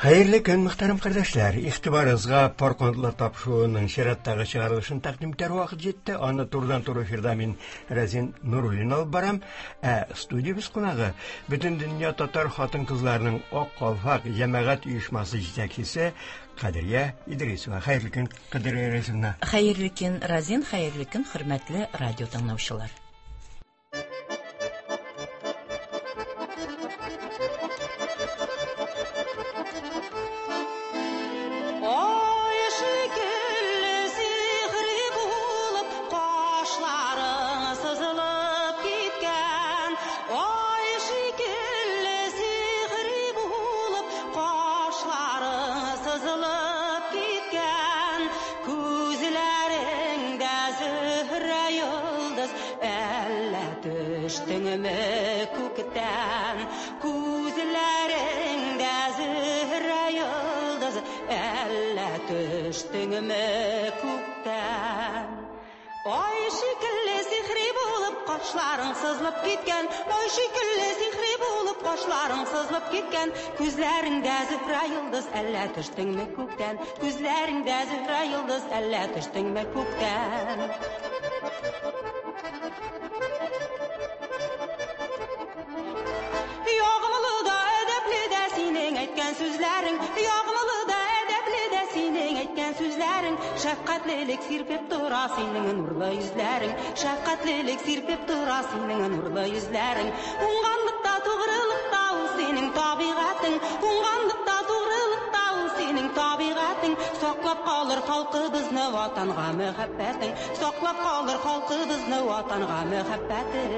Хәерле көн, мөхтәрәм кардәшләр. Игътибарыгызга пар канатлар тапшыруының чираттагы чыгарылышын тәкъдим итәр вакыт җитте. Аны турыдан-туры эфирда мин Рәзин Нуруллин алып барам. Ә студиябез кунагы Бөтендөнья татар хатын-кызларының Ак калфак җәмәгать оешмасы җитәкчесе Кадрия Идрисова. Хәерле көн, Кадрия Идрисовна. Хәерле көн, Разин, хәерле көн, хөрмәтле радио тыңлаучылар. Кашларың сызылып киткән, Ай шикелле сихри булып, кашларың сызылып киткән. Күзләреңдә Зөһрә йолдыз, әллә төштеңме күктән? Күзләреңдә Зөһрә йолдыз, әллә төштеңме күктән? Ягымлы да, әдәпле дә синең әйткән сүзләрең, ягымлы да, әдәпле дә синең әйткән сүзләрең. Шәфкатьлелек сирпеп тора синең нурлы йөзләрең, шәфкатьлелек сирпеп тора синең нурлы йөзләрең. Уңганлыкта, тугрылыкта ул синең табигатең, уңганлыкта, тугрылыкта ул синең табигатең. Саклап калыр халкыбызны ватанга мәхәббәтең, саклап калыр халкыбызны ватанга мәхәббәтең.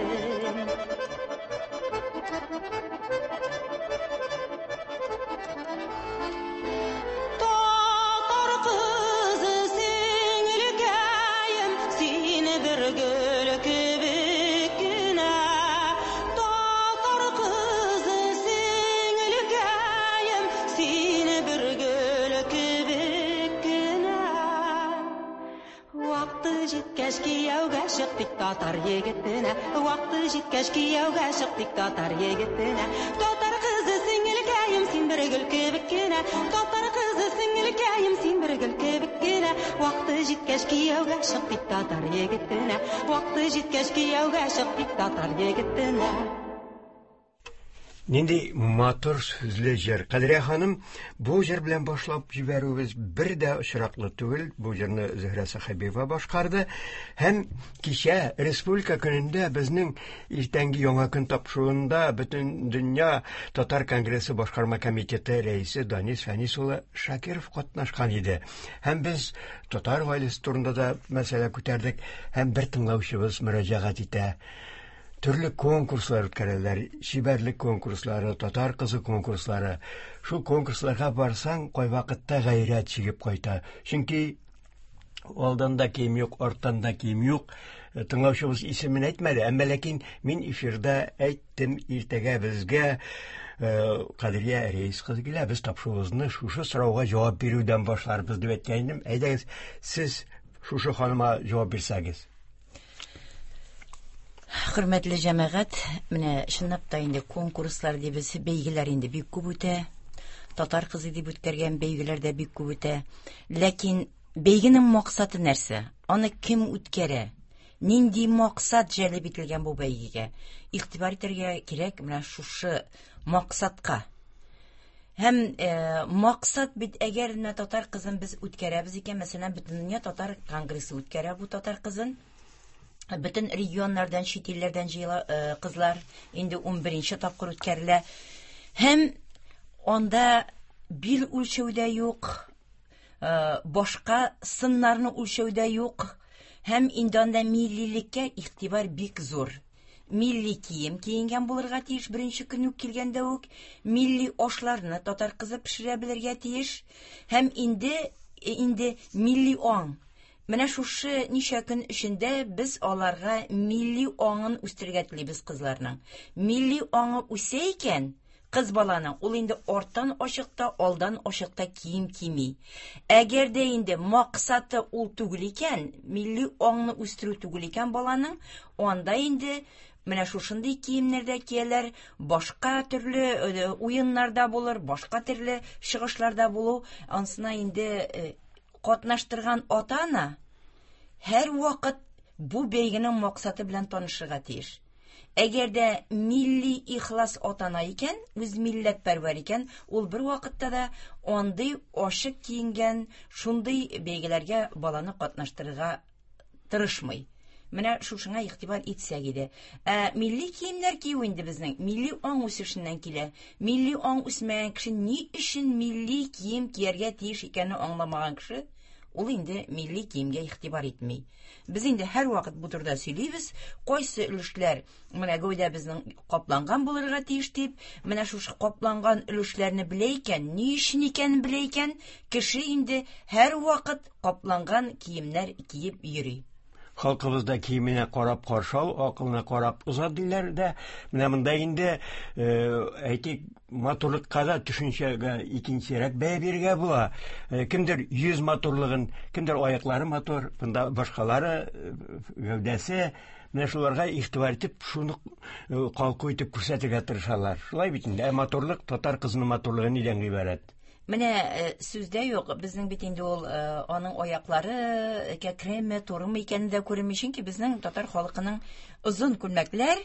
Татар кызы сеңелкәем, син бер гөл кебек кенә. Татар кызы сеңелкәем, син бер гөл кебек кенә. Вакыты җиткәч кияүгә чык дик татар егетенә. Вакыты җиткәч кияүгә чык дик татар егетенә. Татар кызы сеңелкәем, син бер гөл кебек кенә. Татар кызы сеңелкәем, син бер гөл кебек кенә. Вакыты җиткәч кияүгә чык дик татар егетенә. Вакыты җиткәч кияүгә чык дик татар егетенә. Нинди матур сүзле җыр. Кадрия ханым, бу җыр белән башлап җибәрүебез бер дә очраклы түгел. Бу җырны Зөһрә Сәхәбиева башкарды. Һәм кичә Республика көнендә безнең иртәнге Яңа көн тапшыруында Бөтендөнья татар конгрессы башкарма комитеты рәисе Данис Фәнис улы Шакиров катнашкан иде. Һәм без татар гаиләсе турында да мәсьәлә күтәрдек. Һәм бер тыңлаучыбыз мөрәҗәгать итә. Төрле конкурслар үткәрәләр, чибәрлек конкурслары, татар кызы конкурслары. Шул конкурсларга барсаң, кайвакытта гайрәт чигеп кайта. Чөнки алдан да кием юк, арттан да кием юк. Тыңлаучыбыз исемен әйтмәде, әмма ләкин мин эфирда әйттем, иртәгә безгә Кадрия Рәис кызы килә, без тапшыруыбызны шушы сорауга җавап бирүдән башларбыз дип әйткән идем. Әйдәгез, сез шушы ханыма җавап бирсәгез. Хөрмәтле җәмәгать, менә чынлап та инде конкурслар дибез, бәйгеләр инде бик күп үтә. Татар кызы дип үткәргән бәйгеләр дә бик күп үтә. Ләкин бәйгенең максаты нәрсә? Аны кем үткәрә? Нинди максат җәлеп ителгән бу бәйгегә? Игътибар итәргә кирәк менә шушы максатка. Һәм максат бит, әгәр менә татар кызын без үткәрәбез икән, мәсәлән, Бөтендөнья татар конгрессы үткәрә бу татар кызын. Бөтен регионнардан, чит илләрдән җыела кызлар, инде 11 тапкыр үткәрелә. Һәм анда бил үлчәү дә юк, башка сыннарны үлчәү дә юк. Һәм инде анда миллилеккә игътибар бик зур. Милли кием киенгән булырга тиеш беренче көн үк килгәндә үк, милли ашларны татар кызы пешерә белергә тиеш, һәм инде милли аң. Менә шушы ничә көн эчендә без аларга милли аңын үстерергә телибез кызларның. Милли аңы үсә икән, кыз баланың, ул инде арттан ачыкта, алдан ачыкта кием кими. Әгәр дә инде максаты ул түгел икән, милли аңны үстерү түгел икән баланың, анда инде Менә шушындый киемнәрдә кияләр, башка төрле уеннарда булыр, башка төрле чыгышларда булу, ансына инде катнаштырган ата-ана һәр вакыт бу бәйгенең максаты белән танышырга тиеш. Әгәр дә милли ихлас ата-ана икән, үз милләтпәрвәр икән, ул бер вакытта да андый ачык киенгән, шундый бәйгеләргә баланы катнаштырырга тырышмый. Менә шушыңа игътибар итсәк иде. Ә милли киемнәр кию инде безнең милли аң үсешеннән килә. Милли аң үсмәгән кеше ни өчен милли кием кияргә тиеш икәнен аңламаган кеше, ул инде милли киемгә игътибар итми. Без инде һәрвакыт бу турыда сөйлибез, кайсы өлешләр менә гәүдәбезнең капланган булырга тиеш дип, менә шушы капланган өлешләрне белә икән, ни өчен икәнен белә икән, кеше инде һәрвакыт капланган киемнәр киеп йөри. Халкыбызда киеменә карап каршы ал, акылына карап озат диләр дә. Менә монда инде, әйтик, матурлыкка да төшенчәгә икенчерәк бәя бирергә була. Кемдер йөз матурлыгын, кемдер аяклары матур, монда башкалары гәүдәсе, менә шуларга игътибар итеп, шуны калку итеп күрсәтергә тырышалар. Шулай бит инде. Ә матурлык, татар кызының матурлыгы нидән гыйбарәт? Менә сүздә юк, безнең бит инде ул аның аяклары кәкреме, турымы икәне дә күренми, чөнки безнең татар халкының озын күлмәкләр,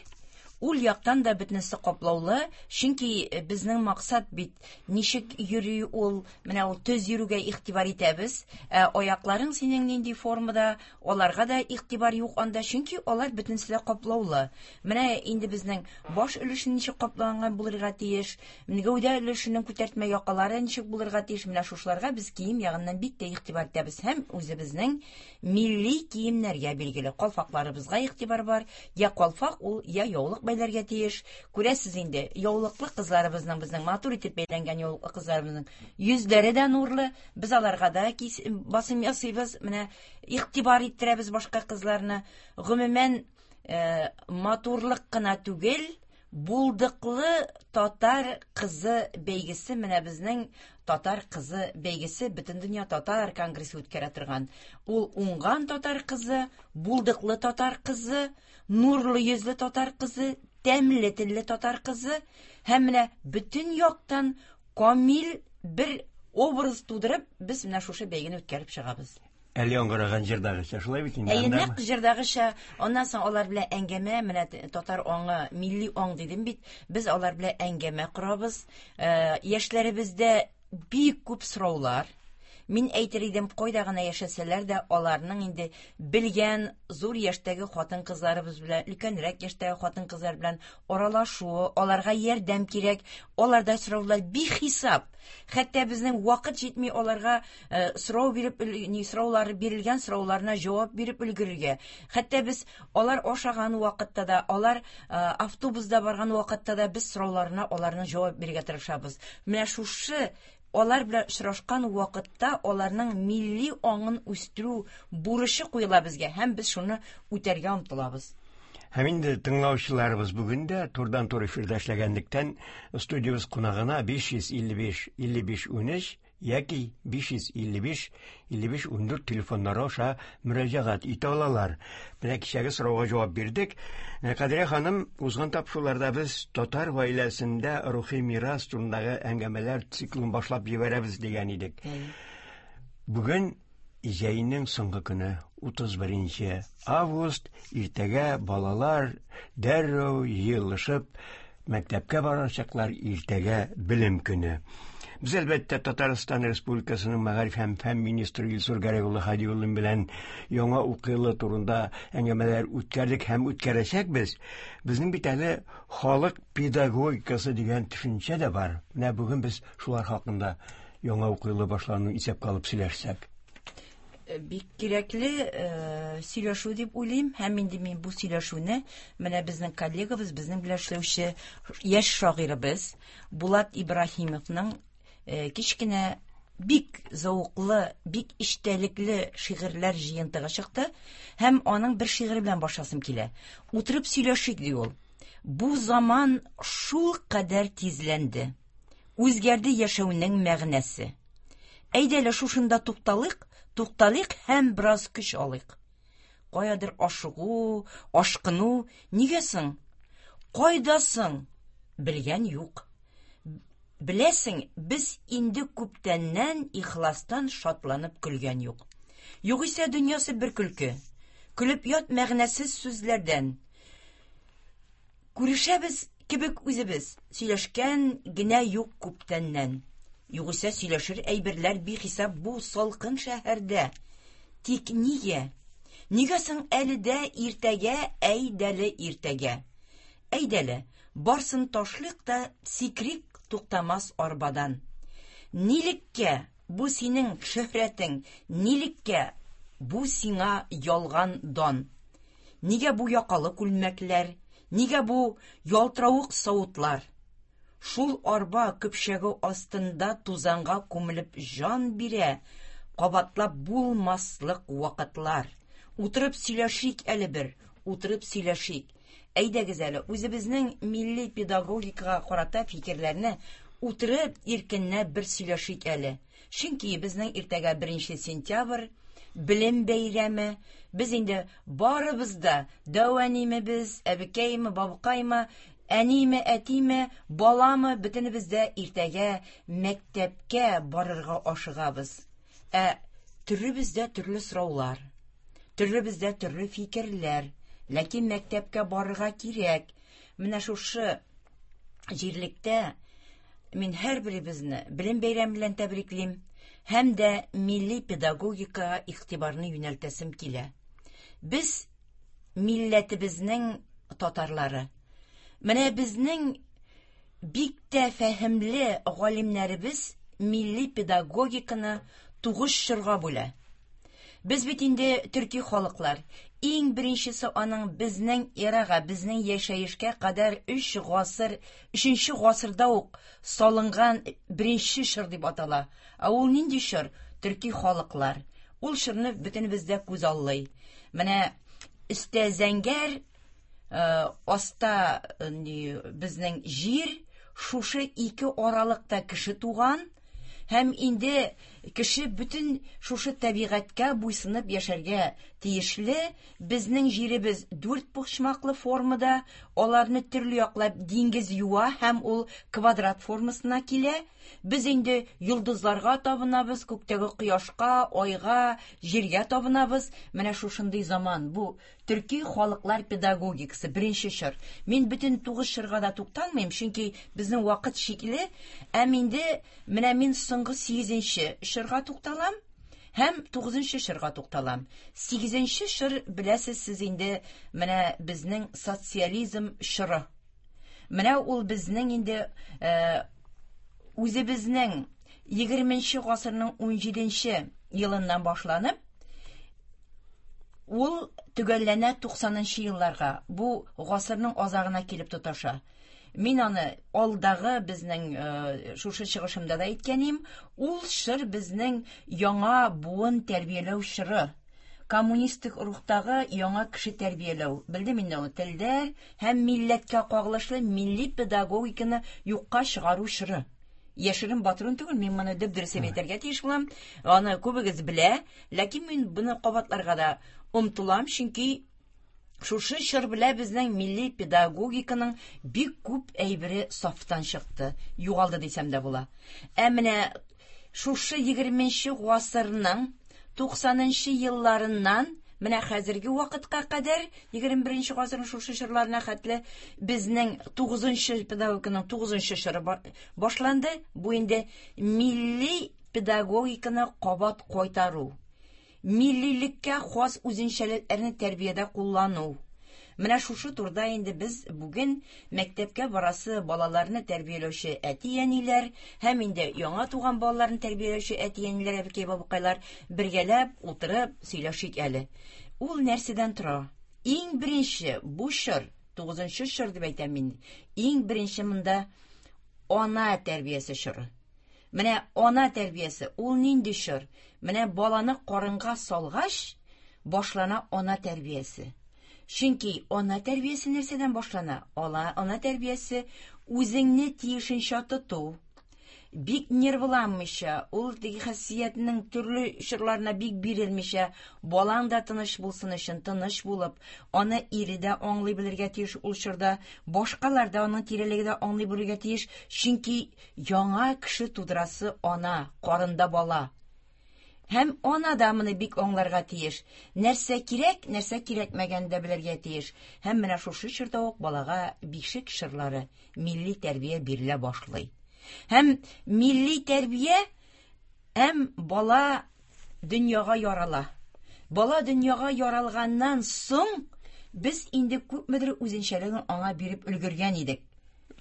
ул яктан да бөтенесе каплаулы, чөнки безнең максат бит ничек йөри ул, менә ул төз йөрүгә игътибар итәбез, ә аякларың синең нинди формада, аларга да игътибар юк анда, чөнки алар бөтенесе дә каплаулы. Менә инде безнең баш өлеше ничек капланган булырга тиеш, гәүдә өлешенең күтәртмә якалары ничек булырга тиеш, менә шушыларга без кием ягыннан бик тә игътибар итәбез һәм үзебезнең милли киемнәргә билгеле калфакларыбызга игътибар бар. Я калфак ул, я яулык бәйләргә тиеш. Күрәсез инде, яулыклы кызларыбызның, безнең матур итеп бәйләнгән яулыклы кызларыбызның йөзләре дә нурлы. Без аларга да басым ясыйбыз, менә игътибар иттерәбез башка кызларны. Гомумән, матурлык кына түгел, булдыклы татар кызы бәйгесе, менә безнең татар кызы бәйгесе Бөтендөнья татар конгрессы үткәрә торган. Ул уңган татар кызы, булдыклы татар кызы, нурлы йөзле татар кызы, тәмле телле татар кызы һәм менә бөтен яктан камил бер образ тудырып, без менә шушы бәйгене үткәреп чыгабыз. Әле яңгыраган җырдагыча, шулай бит инде? Әйе, нәкъ җырдагыча. Аннан соң алар белән әңгәмә, менә татар аңы, милли аң дидем бит, без алар белән әңгәмә корабыз. Яшьләребездә бик күп сораулар. Мин әйтер идем, кайда гына яшәсәләр дә, аларның инде белгән зур яшьтәге хатын-кызларыбыз белән, өлкәнрәк яшьтәге хатын-кызлар белән аралашу, аларга ярдәм кирәк. Аларда сораулар бихисап. Хәтта безнең вакыт җитми аларга сорау биреп, ни сораулары бирелгән сорауларына җавап биреп өлгерергә. Хәтта без алар ашаган вакытта да, алар автобуста барган вакытта да без сорауларына аларның җавап бирергә тырышабыз. Менә шушы алар белән очрашкан вакытта аларның милли аңын үстерү бурычы куела безгә һәм без шуны үтәргә омтылабыз. Һәм инде тыңлаучыларыбыз бүген дә турыдан-туры эфирда эшләгәнлектән студиябез кунагына 555 55 13 яки 555 55 14 телефоннары аша мөрәҗәгать итә алалар. Менә кичәге сорауга җавап бирдек. Кадрия ханым, узган тапшыруларда без татар гаиләсендә рухи мирас турындагы әңгәмәләр циклын башлап җибәрәбез дигән идек. Бүген җәйнең соңгы көне, 31 август, иртәгә балалар дәррәү җыелышып мәктәпкә барачаклар, иртәгә белем көне. Без әлбәттә Татарстан Республикасының мәгариф һәм фән министры Илсур Гәрәй улы Һадиуллин белән яңа уку елы турында әңгәмәләр үткәрдек һәм үткәрәчәкбез. Безнең бит әле халык педагогикасы дигән төшенчә дә бар. Менә бүген без шулар хакында яңа уку елы башлануын исәпкә алып сөйләшсәк. Бик кирәкле сөйләшү дип уйлыйм, һәм инде мин бу сөйләшүне менә безнең коллегабыз, безнең белән эшләүче яшь шагыйребез Булат Ибраһимовның кечкенә бик зәвыклы, бик эчтәлекле шигырьләр җыентыгы чыкты һәм аның бер шигыре белән башласым килә. Утырып сөйләшик, ди ул. Бу заман шул кадәр тизләнде. Үзгәрде яшәүнең мәгънәсе. Әйдә әле шушында тукталыйк, тукталыйк һәм бераз көч алыйк. Каядыр ашыгу, ашкыну нигә соң? Кайда соң? Белгән юк. Беләсең, без инде күптәннән ихластан шатланып көлгән юк. Югыйсә дөньясы бер көлке. Көлеп ят мәгънәсез сүзләрдән. Күрешәбез кебек үзебез, сөйләшкән генә юк күптәннән. Югыйсә сөйләшер әйберләр бихисап бу салкын шәһәрдә. Тик нигә? Нигә соң әле дә иртәгә, әйдәле иртәгә? Әйдәле, барсын ташлыйк та сикрик туктамас арбадан. Нилеккә бу синең шөһрәтең, нилеккә бу сиңа ялган дан? Нигә бу якалы күлмәкләр, нигә бу ялтыравык савытлар? Шул арба көпчәге астында тузанга күмелеп җан бирә, кабатлап булмаслык вакытлар. Утырып сөйләшик әле бер, утырып сөйләшик. Әйдәгез әле, үзебезнең милли педагогикага карата фикерләрне утырып иркенләп бер сөйләшик әле. Чөнки безнең иртәгә 1 сентябрь, белем бәйрәме. Без инде барыбыз да, дәү әниме без, әбекәйме, бабыкаймы, әниме, әтиме, баламы, бөтенебез дә иртәгә мәктәпкә барырга ашыгабыз. Ә төрлебездә төрле сораулар, төрлебездә төрле фикерләр. Ләкин мәктәпкә барырга кирәк. Менә шушы җирлектә мин һәрберебезне белем бәйрәме белән тәбриклим һәм дә милли педагогикага игътибарны юнәлтәсем килә. Без милләтебезнең татарлары. Менә безнең бик тә фәһемле галимнәребез милли педагогиканы тугыз чорга бүлә. Без бит инде төрки халыклар. Иң беренчесе аның безнең эрага, безнең яшәешкә кадәр 3 гасыр, 3 гасырда ук салынган беренче чор дип атала. Ә ул нинди чор? Төрки халыклар. Ул чорны бөтенебез дә күз аллый. Менә өстә зәңгәр, аста безнең җир, шушы ике аралыкта кеше туган. Һәм инде кеше бөтен шушы табигатькә буйсынып яшәргә тиешле. Безнең җиребез дүрт почмаклы формада, аларны төрле яклап диңгез юа һәм ул квадрат формасына килә. Без инде йолдызларга табынабыз, күктәге кояшка, айга, җиргә табынабыз. Менә шушындый заман. Бу төрки халыклар педагогикасы, беренче чор. Мин бөтен тугыз чорга да тукталмыйм, чөнки безнең вакыт чикле. Әм инде менә мин соңгы 8-нче чорга тукталам һәм 9-нчы чорга тукталам. 8-нче чор, беләсез сез инде, менә безнең социализм чоры. Менә ул безнең инде үзебезнең 20-нче гасырның 17-нче елыннан башланып, ул төгәлләнә 90-нчы елларга. Бу гасырның азагына килеп тоташа. Мин аны алдагы безнең шушы чыгышымда да әйткәнем, ул чор безнең яңа буын тәрбияләү чоры. Коммунистик рухтагы яңа кеше тәрбияләү. Белдем инде аны, телдә һәм милләткә кагылышлы милли педагогиканы юкка чыгару чоры. Яшерен батырын түгел, мин моны дөп-дөрес әйтергә тиеш булам. Аны күбегез белә, ләкин мин моны кабатларга да омтылам, чөнки шушы чор белән безнең милли педагогиканың бик күп әйбере сафтан чыкты, югалды дисәм дә була. Ә менә шушы 20-нче гасырның 90-нчы елларыннан менә хәзерге вакытка кадәр, 21-нче гасырның шушы чорларына хәтле безнең 9-нчы педагогиканың 9-нчы чоры башланды. Бу инде милли педагогиканы кабат кайтару, миллилеккә хас үзенчәлекләрне тәрбиядә куллану. Менә шушы турыда инде без бүген мәктәпкә барасы балаларны тәрбияләүче әти-әниләр һәм инде яңа туган балаларны тәрбияләүче әти-әниләр, әбекәй-бабыкайлар бергәләп утырып сөйләшик әле. Ул нәрсәдән тора? Иң беренче бу чор, 9-нчы чор дип әйтәм мин. Иң беренче монда ана тәрбиясе чоры. Менә ана тәрбиясе, ул нинди чор? Менә баланы карынга салгач, башлана ана тәрбиясе. Чөнки ана тәрбиясе нәрсәдән башлана? Ана тәрбиясе үзеңне тиешенчә тоту, Бик нервланмыйча, ул теге хәссиятнең төрле чорларына бик бирелмичә, балаң да тыныч булсын өчен тыныч булып, аны ире дә аңлый белергә тиеш ул чорда, башкалар да аның тирәлеге дә аңлый белергә тиеш, чөнки яңа кеше тудырасы ана, карында бала. Һәм ана да моны бик аңларга тиеш. Нәрсә кирәк, нәрсә кирәкмәгәнен дә белергә тиеш. Һәм менә шушы чорда ук балага бишек чорлары, милли тәрбия бирелә башлый. Һәм милли тәрбия һәм бала дөньяга ярала. Бала дөньяга яралганнан соң без инде күпмедер үзенчәлеген аңа биреп өлгергән идек.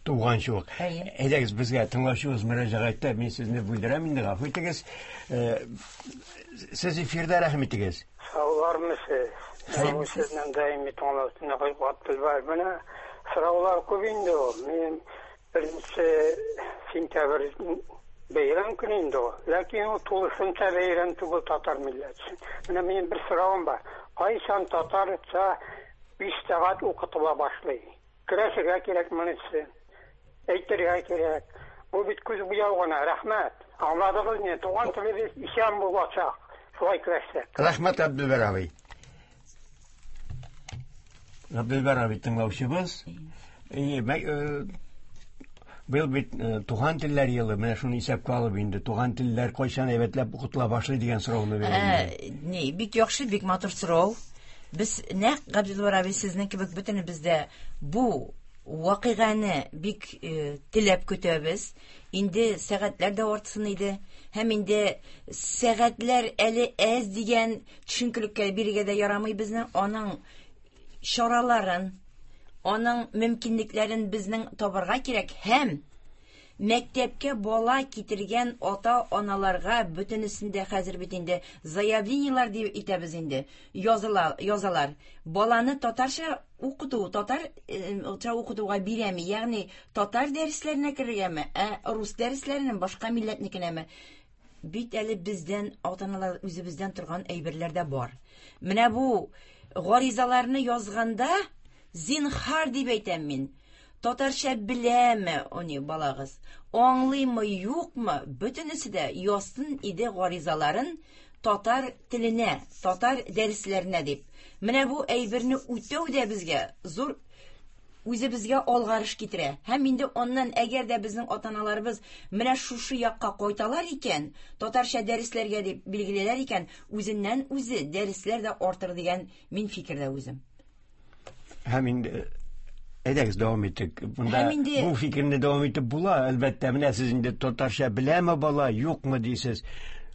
Туганчы ук. Әйдәгез, безгә тыңлаучыбыз мөрәҗәгать итә, мин сезне бүлдерәм инде, гафу итегез. Э, сез эфирда, рәхим итегез. Саулармысыз? Мин сезнең даими тыңлаучы Габделбар. Менә сораулар күп инде ул. Мин беренче сентябрь бәйрәм көне инде ул. Ләкин ул тулысынча бәйрәм түгел татар милләте өчен. Менә минем бер соравым бар. Кайчан татарча 5 сәгать укытыла башлый? Көрәшергә кирәк монысы. Әйтергә кирәк. Бу бит күз буяу гына. Рәхмәт. Аңладыгыз мине? Туган телебез исән булачак. Шулай көрәшсәк. Рәхмәт, Абделбәр абый. Габделбәр абый тыңлаучыбыз. Э, быел бит э, туган телләр елы, менә шуны исәпкә алып инде туган телләр кайчан әйбәтләп укытыла башлый дигән сорауны бирәм. Э, ни, бик яхшы, бик матур сорау. Без нәкъ Габделбәр абый сезнең кебек бөтенебез дә бу вакыйганы бик э, теләп көтәбез. Инде сәгатьләр дә артсын иде. Һәм инде сәгатьләр әле әз дигән төшенкелеккә бирергә дә ярамый безнең. Аның чараларын, аның мөмкинлекләрен безнең табарга кирәк һәм мәктәпкә бала китергән ата-аналарга бөтенесендә хәзер бит инде заявлениелар дип итәбез инде, языла, язалар. Баланы татарча укыту, татарча укытуга бирәме, ягъни татар дәресләренә керергәме, ә рус дәресләренә, башка милләтнекенәме? Бит әле бездән, ата-аналар үзебездән торган әйберләр дә бар. Менә бу гаризаларны язганда, зинхар дип әйтәм мин. Татарча беләме они балагыз? Аңлыймы, юкмы? Бөтенесе дә язсын иде гаризаларын татар теленә, татар дәресләренә дип. Менә бу әйберне үтәү дә безгә зур үзебезгә алгарыш китерә. Һәм инде аннан әгәр дә безнең ата-аналарыбыз менә шушы якка кайталар икән, татарча дәресләргә дип билгелиләр икән, үзеннән үзе дәресләр дә артыр дигән мин фикердә үзем. Һәм инде әйдәгез дәвам итик. Монда инде... бу фикерне дәвам итеп була, әлбәттә. Менә сез инде татарча беләме бала, юкмы дисез.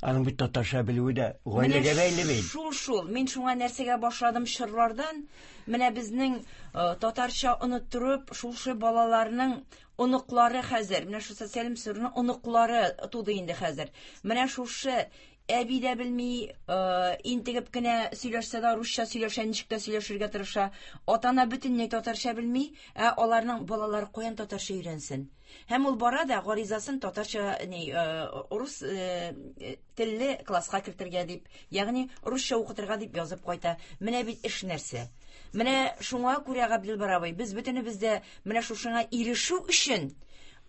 Аның бит татарча белүе дә гаиләгә бәйле бит. Шул шул. Мин шуңа нәрсәгә башладым чорлардан. Менә безнең э, татарча оныттырып, шушы балаларның оныклары хәзер, менә шушы социаль мсырның оныклары туды инде хәзер. Менә шушы әби дә белми, э, интегеп кенә сөйләшсә дә русча сөйләшә, ничек тә сөйләшергә тырыша. Ата-ана бөтенләй татарча белми, ә аларның балалары каян татарча өйрәнсен? Һәм ул бара да гаризасын татарча ни, э, рус э, телле класска кертергә дип, ягъни русча укытырга дип язып кайта. Менә бит эш нәрсә. Менә шуңа күрә Габделбар абый, без бөтенебез дә менә шушыңа ирешү өчен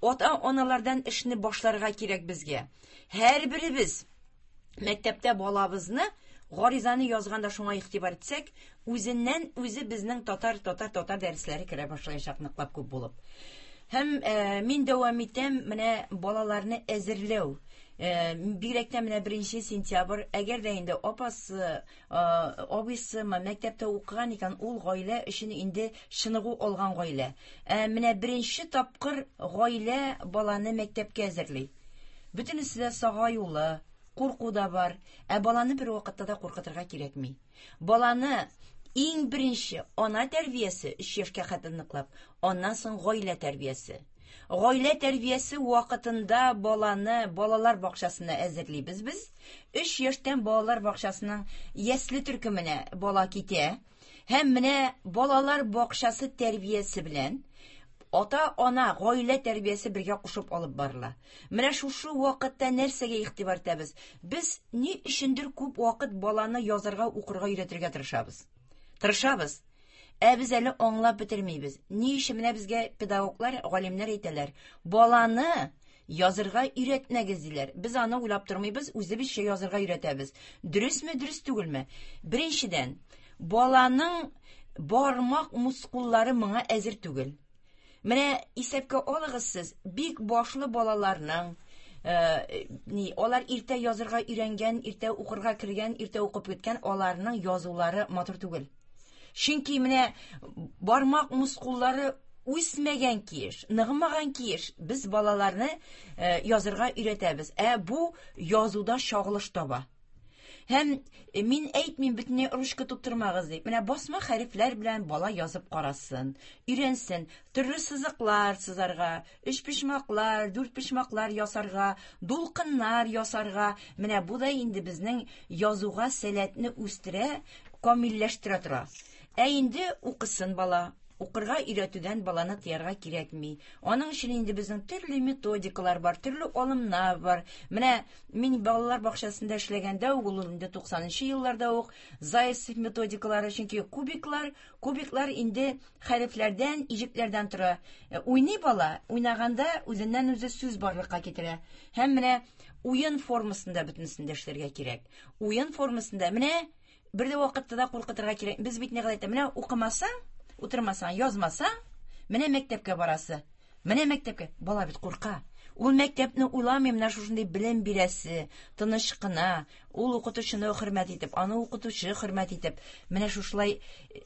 ата-аналардан эшне башларга кирәк безгә. Һәрберебез мәктәптә балабызны гаризаны язганда шуңа игътибар итсәк, үзеннән үзе безнең татар, татар, татар дәресләре керә башлаячак ныклап күп булып. Һәм э, мин дәвам итәм менә балаларны әзерләү. Э, бигрәк тә менә 1 сентябрь, әгәр дә инде апасы, э, абыйсы мәктәптә укыган икән, ул гаилә өчен инде чыныгу алган гаилә. Ә менә беренче тапкыр гаилә баланы мәктәпкә әзерли. Бөтенесе дә сагаюлы, курку да бар. Ә баланы бер вакытта да куркытырга кирәкми. Баланы иң беренче ана тәрбиясе 3 яшькә хәтле ныклап, аннан соң гаилә тәрбиясе. Гаилә тәрбиясе вакытында баланы балалар бакчасына әзерлибез без. 3 яшьтән балалар бакчасының ясле төркеменә бала китә. Һәм менә балалар бакчасы тәрбиясе белән ата-ана гаилә тәрбиясе бергә кушып алып барыла. Менә шушы вакытта нәрсәгә игътибар итәбез? Без ни өчендер күп вакыт баланы язарга, укырга өйрәтергә тырышабыз. Тырышабыз. Ә без әле аңлап бетермибез. Ни өчен менә безгә педагоглар, галимнәр әйтәләр? Баланы Язырга өйрәтмәгез диләр. Без аны уйлап тормыйбыз, үзебезчә язырга өйрәтәбез. Дөресме, дөрес түгелме? Беренчедән, баланың бармак мускуллары моңа әзер түгел. Менә исәпкә алыгыз сез, бик башлы балаларның, ни, алар иртә язырга өйрәнгән, иртә укырга кергән, иртә укып киткән, аларның язулары матур түгел. Чөнки менә бармак мускуллары үсмәгән киеш, ныгымаган киеш, без балаларны язырга өйрәтәбез. Ә бу язуда чагылыш таба. Һәм мин әйтмим бөтенләй ручка тоттырмагыз дип. Менә басма хәрефләр белән бала язып карасын, өйрәнсен, төрле сызыклар сызарга, өчпочмаклар, дүртпочмаклар ясарга, дулкыннар ясарга. Менә бу да инде безнең язуга сәләтне үстерә, камилләштерә тора. Ә инде укысын бала. Укырга өйрәтүдән баланы тыярга кирәкми. Аның өчен инде безнең төрле методикалар бар, төрле алымнар бар. Менә мин балалар бакчасында эшләгәндә үк, ул инде 90 елларда ук Зайцев методикалары, чөнки кубиклар, кубиклар инде хәрефләрдән, иҗекләрдән тора. Уйный бала, уйнаганда үзеннән үзе сүз барлыкка китерә. Һәм менә уен формасында бөтенесен дә эшләргә кирәк. Уен формасында менә бер дә вакытта да куркытырга кирәк. Без бит ни әйтә, менә укымасаң, утырмасаң, язмасаң, менә мәктәпкә барасы. Менә мәктәпкә. Бала бит курка. Ул мәктәпне уйламый, менә шушындый белем бирәсе, тыныч кына, ул укытучыны хөрмәт итеп, аны укытучы хөрмәт итеп, менә шушылай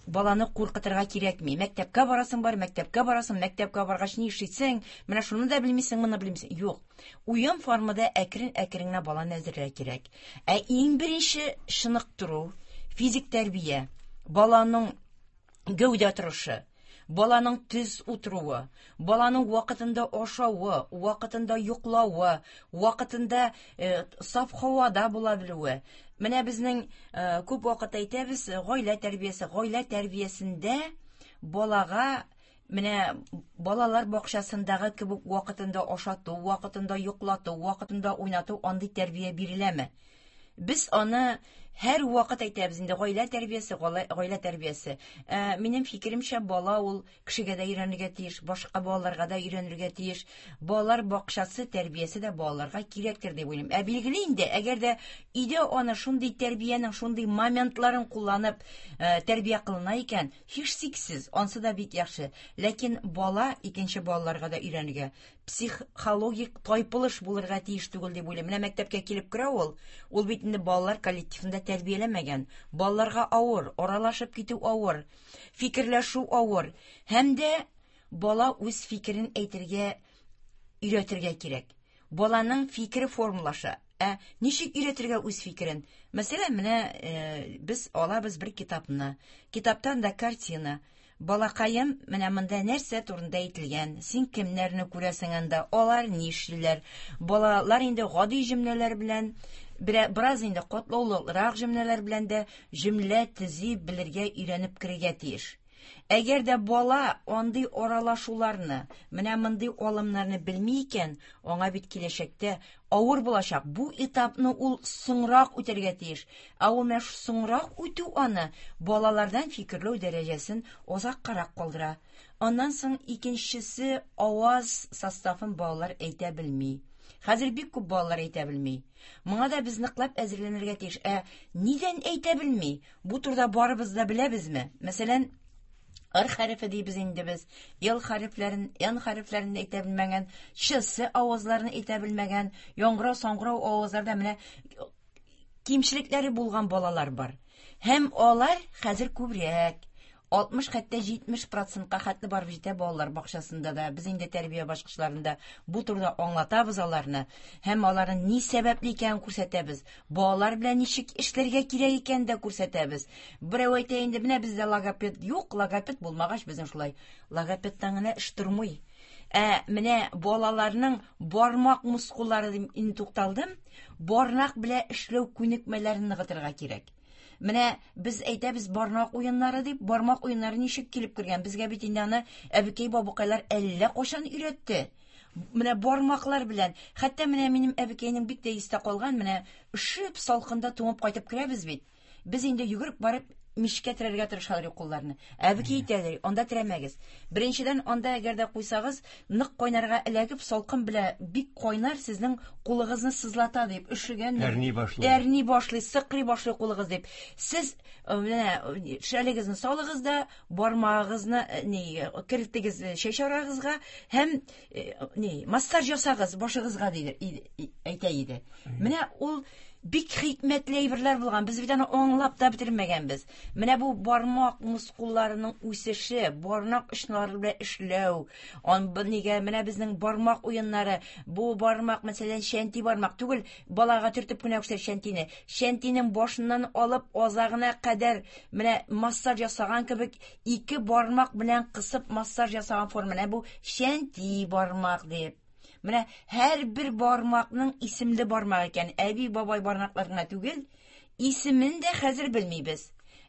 баланы куркытырга кирәкми. Мәктәпкә барасың бар, мәктәпкә барасың, мәктәпкә баргач ни эшлисең? Менә шуны да белмисең, моны белмисең. Юк. Уен формада әкрен-әкрен генә баланы әзерләргә кирәк. Ә иң беренче чыныктыру, физик тәрбия, баланың гәүдә торышы, баланың төз утыруы, баланың вакытында ашавы, вакытында йоклавы, вакытында саф һавада була белүе. Менә безнең күп вакыт әйтәбез, гаилә тәрбиясе, гаилә тәрбиясендә балага менә балалар бакчасындагы кебек вакытында ашату, вакытында йоклату, вакытында уйнату, андый тәрбия биреләме? Без аны һәр вакыт әйтәбез инде, гаилә тәрбиясе, гаилә тәрбиясе. Минем фикеремчә, бала ул кешегә дә өйрәнергә тиеш, башка балаларга да өйрәнергә тиеш. Балалар бакчасы тәрбиясе дә балаларга кирәктер дип уйлыйм. Ә билгеле инде, әгәр дә өйдә аны шундый тәрбиянең шундый моментларын кулланып тәрбия кылына икән, һичшиксез, ансы да бик яхшы. Ләкин бала икенче балаларга да өйрәнергә, психологик тайпылыш булырга тиеш түгел дип уйлыйм. Менә мәктәпкә килеп керә ул, ул бит инде балалар коллективында тәрбияләмәгән. Балаларга авыр, аралашып китү авыр, фикерләшү авыр. Һәм дә бала үз фикерен әйтергә өйрәтергә кирәк. Баланың фикере формалаша. Ә ничек өйрәтергә үз фикерен? Мәсәлән, менә без алабыз бер китапны. Китаптан да картина. Балакаем, менә монда нәрсә турында әйтелгән? Син кемнәрне күрәсең анда? Алар ни эшлиләр? Балалар инде гади җөмләләр белән, бераз инде катлаулырак җөмләләр белән дә җөмлә төзи белергә өйрәнеп керергә тиеш. Әгәр дә бала андый аралашуларны, менә мондый алымнарны белми икән, аңа бит киләчәктә авыр булачак. Бу этапны ул соңрак үтәргә тиеш. Ә ул менә соңрак үтү аны балалардан фикерләү дәрәҗәсен озаккарак калдыра. Аннан соң икенчесе аваз составын балалар әйтә белми. Хәзер бик күп балалар әйтә белми. Моңа да без ныклап әзерләнергә тиеш. Ә нидән әйтә белми? Бу турыда барыбыз да беләбезме? Мәсәлән, Р хәрефе дибез инде без. Л хәрефләрен, Н хәрефләрен әйтә белмәгән, Ч, С авазларын әйтә белмәгән, яңгырау, саңгырау авазларда менә кимчелекләре булган балалар бар. Һәм алар хәзер күбрәк, 60 хәтта 70%-ка хәтле барып җитә балалар бакчасында да. Без инде тәрбия башкычларында бу турыда аңлатабыз аларны һәм аларның ни сәбәпле икәнен күрсәтәбез. Балалар белән ничек эшләргә кирәк икәнен дә күрсәтәбез. Берәү әйтә инде, менә бездә логопед юк, логопед булмагач безнең шулай. Логопедтан гына эш тормый. Ә менә балаларның бармак мускуллары дип инде тукталдым, бармак белән эшләү күнекмәләрен ныгытырга кирәк. Менә без әйтәбез бармак уеннары дип, бармак уеннары ничек килеп кергән? Безгә бит инде аны әбекәй бабыкайлар әллә кайчан өйрәтте. Менә бармаклар белән. Хәтта менә минем әбекәйнең бик тә истә калган, менә өшеп салкында туңып кайтып керәбез бит. Без инде йөгереп барып мичкә терәргә тырышалар кулларны. Әбекәй әйтәләр, анда терәмәгез. Беренчедән, анда әгәр дә куйсагыз, нык кайнарга эләгеп, салкын белән бик кайнар сезнең кулыгызны сызлата дип, өшегән. Әрни башлый. Әрни башлый, сыкрый башлый кулыгыз дип. Сез менә шәлегезне салыгыз да, бармагыгызны ни кертегез чәч арагызга һәм ни массаж ясагыз башыгызга диде, әйтә иде. Менә ул бик хикмәтле әйберләр булган. Без бит аны аңлап та бетермәгәнбез. Менә бу бармак мускулларының үсеше, бармак очлары белән эшләү, ан нигә менә безнең бармак уеннары, бу бармак, мәсәлән, чәнти бармак түгел, балага төртеп кенә күрсәт чәнтине. Чәнтинең башыннан алып азагына кадәр менә массаж ясаган кебек ике бармак белән кысып массаж ясаган форма. Менә бу чәнти бармак дип. Менә һәрбер бармакның исемле бармак икән. Әби, бабай бармаклар гына түгел, исемен дә хәзер белмибез.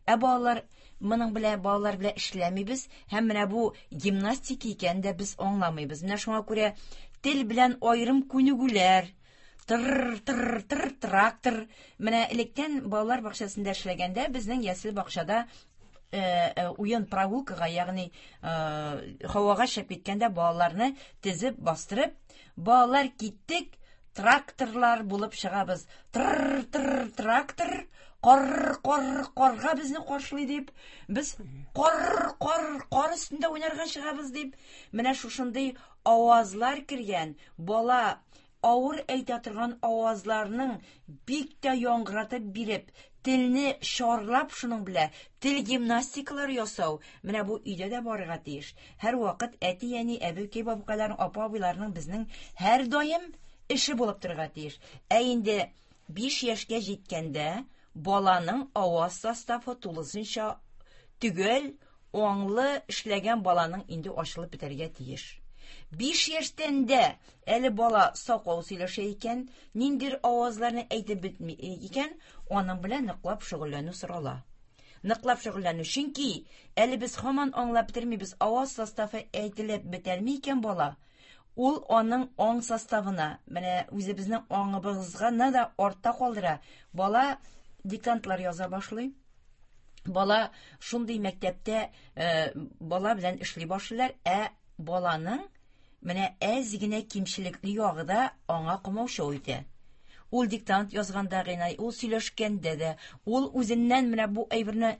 Ә балалар моның белән балалар белән эшләмибез һәм менә бу гимнастика икәнен дә без аңламыйбыз. Менә шуңа күрә тел белән аерым күнегүләр, тыр тыр тыр трактор. Менә электән балалар бакчасында эшләгәндә безнең ясле бакчада уен прогулкага, ягъни һавага чыгып киткәндә балаларны тезеп бастырып, балалар киттек, тракторлар булып чыгабыз. Тр тр трактор, кар кар карга безне каршылый дип, без кар кар кар өстендә уйнарга чыгабыз дип, менә шушындый авазлар кергән бала авыр әйтә торган авазларның бик тә яңгыратып биреп, телне чарлап шуның белән тел гимнастикалары ясау, менә бу өйдә дә барырга тиеш. Һәр вакыт әти-әни, әбекәй, бабакайларның, апа-абыйларның безнең һәр даим эше булып торырга тиеш. Ә инде 5 яшькә җиткәндә баланың аваз составы тулысынча төгәл, аңлы эшләгән баланың инде ачылып бетәргә тиеш. 5 яшьтән дә әле бала сакау сөйләшә икән, ниндидер авазларны әйтеп бетми икән, аның белән ныклап шөгыльләнү сорала. Ныклап шөгыльләнү, чөнки әле без һаман аңлап бетермибез, аваз составы әйтелеп бетәлми икән бала, ул аның аң составына, менә үзебезнең аңыбызга да артта калдыра. Бала диктантлар яза башлый. Бала шундый мәктәптә бала белән эшли башлыйлар, ә баланың менә әз генә кимчелекле ягы да аңа комаучау итә. Ул диктант язганда гына, ул сөйләшкәндә дә, ул үзеннән менә бу әйберне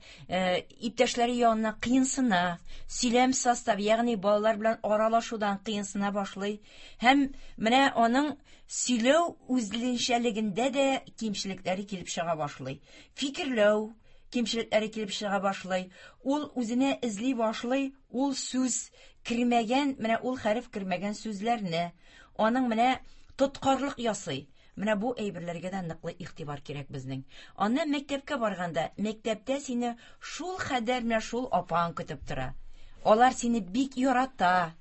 иптәшләре янына кыенсына, сөйләм составы, ягъни балалар белән аралашудан кыенсына башлый. Һәм менә аның сөйләү үзенчәлегендә дә кимчелекләре килеп чыга башлый. Фикерләү кимчелекләре килеп чыга башлый. Ул үзенә эзли башлый, ул сүз кермәгән, менә ул хәреф кермәгән сүзләрне, аның менә тоткарлык ясый. Менә бу әйберләргә дә ныклы игътибар кирәк безнең. Аннан мәктәпкә барганда, мәктәптә сине шул хәдәр менә шул апаң көтеп тора. Алар сине бик ярата.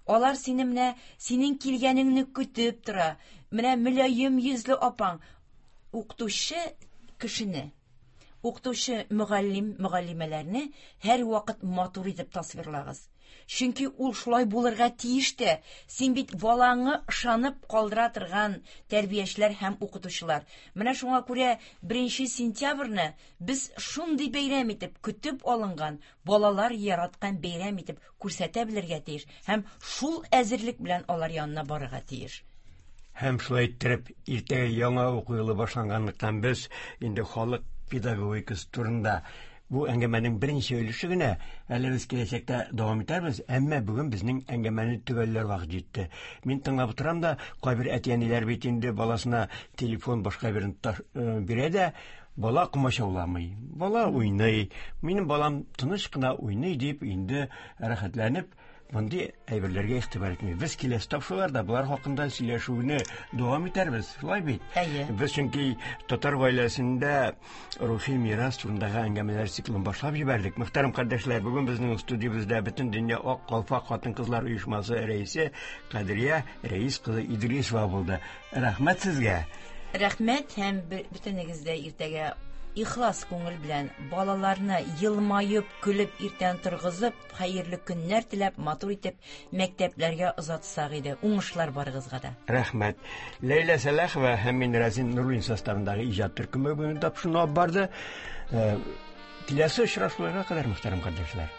Алар сине менә синең килгәнеңне көтеп тора. Менә мөлаем йөзле апаң, укытучы кешене, укытучы мөгаллим, мөгаллимәләрне һәр вакыт матур итеп тасвирлагыз. Чөнки ул шулай булырга тиеш тә. Син бит балаңы ышанып калдыра торган тәрбиячеләр һәм укытучылар. Менә шуңа күрә 1 сентябрьне без шундый бәйрәм итеп көтеп алынган, балалар яраткан бәйрәм итеп күрсәтә белергә тиеш һәм шул әзерлек белән алар янына барырга тиеш. Һәм шулай иттереп, иртәгә яңа уку елы башланганлыктан без инде халык педагогикасы турында бу әңгәмәнең беренче өлеше генә, әле без киләчәктә дәвам итәрбез, әмма бүген безнең әңгәмәне төгәлләр вакыт җитте. Мин тыңлап утырам да, кайбер әти-әниләр бит инде баласына телефон башка берен бирә дә, бала комачауламый, бала уйный, минем балам тыныч кына уйный дип инде рәхәтләнеп мондый әйберләргә игътибар итми. Без киләсе тапшыруларда болар хакында сөйләшүне дәвам итәрбез, шулай бит? Әйе. Без чөнки татар гаиләсендә рухи мирас турындагы әңгәмәләр циклын башлап җибәрдек. Мөхтәрәм кардәшләр, бүген безнең студиябездә Бөтен дөнья Ак калфак хатын-кызлар оешмасы рәисе Кадрия Рәис кызы Идрисова булды. Рәхмәт сезгә. Рәхмәт һәм бөтенегез дә иртәгә Ихлас күңел белән балаларны елмаеп, көлеп иртән торгызып, хәерле көннәр теләп, матур итеп мәктәпләргә озатсак иде. Уңышлар барыгызга да. Рәхмәт. Ләйлә Сәлахова һәм мин Разин Нуруллин составындагы иҗат төркеме бүген тапшыруны алып барды. Э, киләсе очрашуларга кадәр, мөхтәрәм кардәшләр.